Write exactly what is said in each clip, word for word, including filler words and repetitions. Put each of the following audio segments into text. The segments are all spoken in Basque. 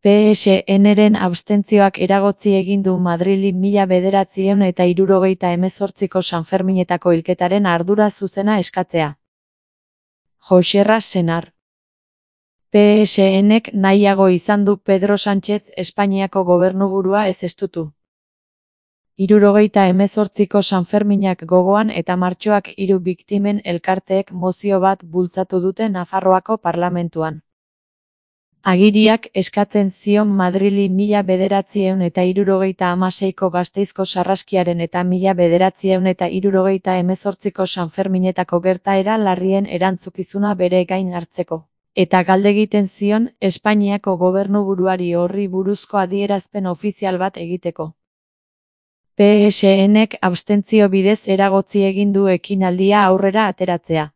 P S N-ren abstentzioak eragotzi egin du Madrili mila bederatziehun eta hirurogeita hemezortziko Sanferminetako hilketaren ardura zuzena eskatzea. Joxerra Senar. P S N-ek nahiago izan du Pedro Sánchez Espainiako gobernuburua ez estutu. Hirurogeita hemezortziko Sanferminak gogoan eta martxoak hiru biktimen elkarteek mozio bat bultzatu dute Nafarroako parlamentuan. Agiriak eskatzen zion Madrili mila bederatziehun eta hirurogeita hamaseiko Gasteizko sarraskiaren eta mila bederatziehun eta hirurogeita hemezortziko Sanferminetako gertaera larrien erantzukizuna bere gain hartzeko. Eta galdegiten zion Espainiako gobernuburuari horri buruzko adierazpen ofizial bat egiteko. P S N-ek abstentzio bidez eragotzi egin du ekinaldia aurrera ateratzea.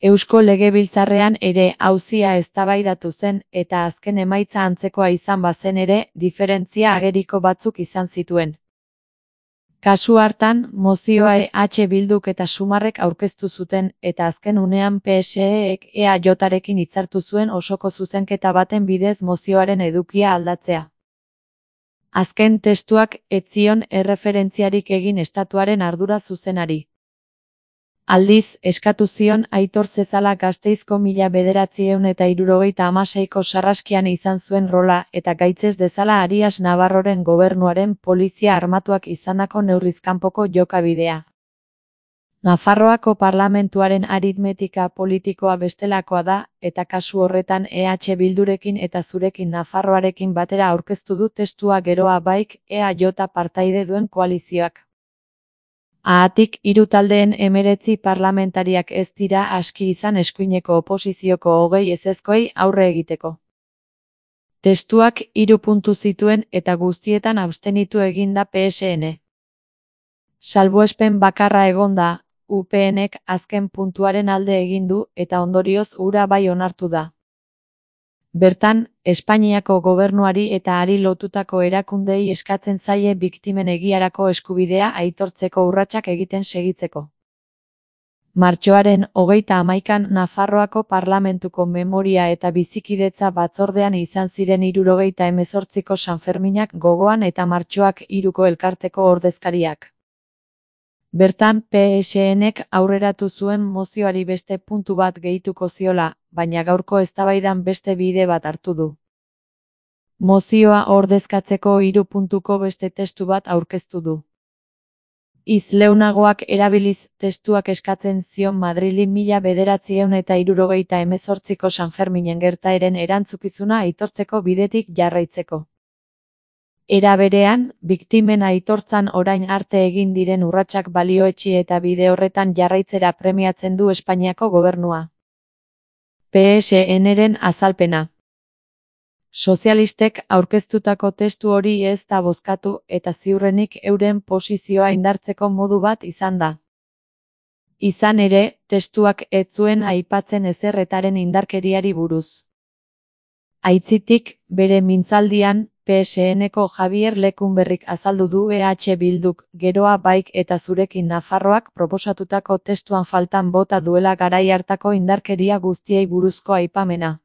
Eusko Legebiltzarrean ere auzia eztabaidatu zen eta azken emaitza antzekoa izan bazen ere, diferentzia ageriko batzuk izan zituen. Kasu hartan, mozioa E H Bilduk eta Sumarrek aurkeztu zuten eta azken unean P S E-ek E A J-rekin hitzartu zuen osoko zuzenketa baten bidez mozioaren edukia aldatzea. Azken testuak ez zion erreferentziarik egin estatuaren ardura zuzenari. Aldiz, eskatu zion Aitor Zezala Gasteizko mila bederatziehun eta hirurogeita hamaseiko sarraskian izan zuen rola eta gaitzez dezala Arias Navarroren gobernuaren polizia armatuak izandako neurrizkanpoko jokabidea. Nafarroako parlamentuaren aritmetika politikoa bestelakoa da, eta kasu horretan E H Bildurekin eta zurekin Nafarroarekin batera aurkeztu du testua geroa baik E A J partaide duen koalizioak. Haatik, hiru taldeen hemeretzi parlamentariak ez dira aski izan eskuineko oposizioko hogei ezezkoei aurre egiteko. Testuak hiru puntu zituen eta guztietan abstenitu egin da P S N. Salbuespen bakarra egon da, U P N-ek azken puntuaren alde egin du eta ondorioz hura bai onartu da. Bertan, Espainiako gobernuari eta hari lotutako erakundei eskatzen zaie biktimen egiarako eskubidea aitortzeko urratsak egiten segitzeko. Martxoaren hogeita hamaikan Nafarroako parlamentuko memoria eta bizikidetza batzordean izan ziren hirurogeita hemezortziko Sanferminak gogoan eta martxoak hiruko elkarteko ordezkariak. Bertan P S N-ek aurreratu zuen mozioari beste puntu bat gehituko ziola, baina gaurko eztabaidan beste bide bat hartu du. Mozioa ordezkatzeko hiru puntuko beste testu bat aurkeztu du. Hitz leunagoak erabiliz, testuak eskatzen zion Madrili mila bederatziehun eta hirurogeita hemezortziko Sanferminen gertaeren erantzukizuna aitortzeko bidetik jarraitzeko. Era berean, biktimen aitortzan orain arte egin diren urratsak balioetsi eta bide horretan jarraitzera premiatzen du Espainiako gobernua. P S N-ren azalpena. Sozialistek aurkeztutako testu hori ez da bozkatu eta ziurrenik euren posizioa indartzeko modu bat izan da. Izan ere, testuak ez zuen aipatzen ezerretaren indarkeriari buruz. Aitzitik, bere mintzaldian, P S N-eko Javier Lecumberrik azaldu du E H Bilduk, geroa baik eta zurekin Nafarroak proposatutako testuan faltan bota duela garai hartako indarkeria guztiei buruzko aipamena.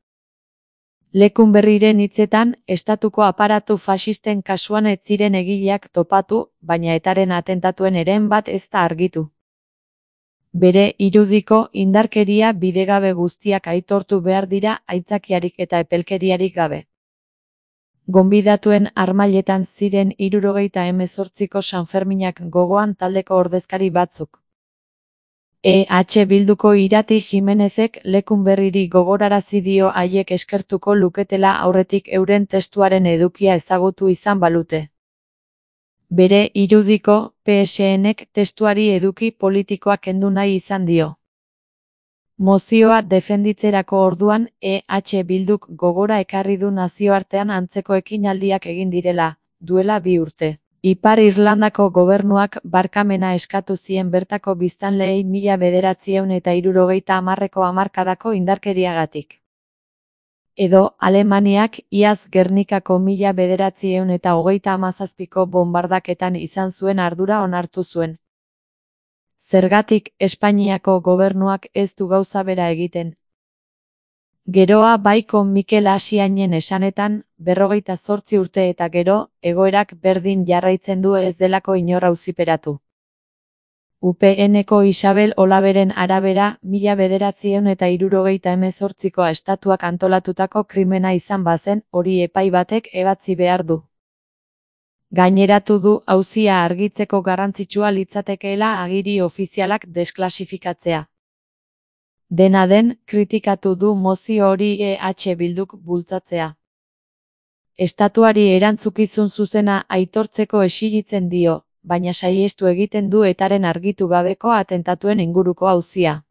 Lecumberriren hitzetan, estatuko aparatu faxisten kasuan ez ziren egileak topatu, baina etaren atentatuen eren bat ez da argitu. Bere irudiko indarkeria bidegabe guztiak aitortu behar dira aitzakiarik eta epelkeriarik gabe. Gonbidatuen harmailetan ziren hirurogeita hemezortziko Sanferminak gogoan taldeko ordezkari batzuk. E H Bilduko Irati Jimenezek Lecumberriri gogorarazi dio haiek eskertuko luketela aurretik euren testuaren edukia ezagutu izan balute. Bere irudiko, P S N-ek testuari eduki politikoa kendu nahi izan dio. Mozioa defenditzerako orduan E H Bilduk gogora ekarri du nazioartean antzeko ekinaldiak egin direla, duela bi urte. Ipar Irlandako gobernuak barkamena eskatu zien bertako biztanleei mila bederatziehun eta hirurogeita hamarreko hamarkadako indarkeriagatik. Edo Alemaniak iaz Gernikako mila bederatziehun eta hogeita hamazazpiko bonbardaketan izan zuen ardura onartu zuen. Zergatik Espainiako gobernuak ez du gauza bera egiten. Geroa baiko Mikel Asiainen esanetan, berrogeita zortzi urte eta gero, egoerak berdin jarraitzen du ez delako inor auziperatu. U P N-ko Isabel Olaberen arabera, mila bederatziehun eta hirurogeita hemezortziko estatuak antolatutako krimena izan bazen, hori epai batek ebatzi behar du. Gaineratu du auzia argitzeko garrantzitsua litzatekeela agiri ofizialak desklasifikatzea. Dena den, kritikatu du mozio hori E H Bilduk bultzatzea. Estatuari erantzukizun zuzena aitortzeko exigitzen dio, baina saihestu egiten du etaren argitu gabeko atentatuen inguruko auzia.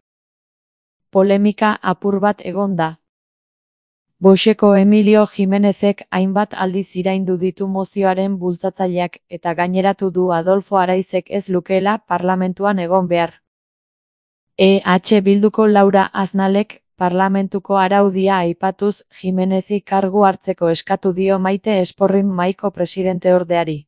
Polemika apur bat egon da. Voxeko Emilio Jimenezek hainbat aldiz iraindu ditu mozioaren bultzatzaileak eta gaineratu du Adolfo Araizek ez lukeela parlamentuan egon behar. E H Bilduko Laura Aznalek, parlamentuko araudia aipatuz, Jimenezi kargu hartzeko eskatu dio Maite Esporrin mahaiko presidenteordeari.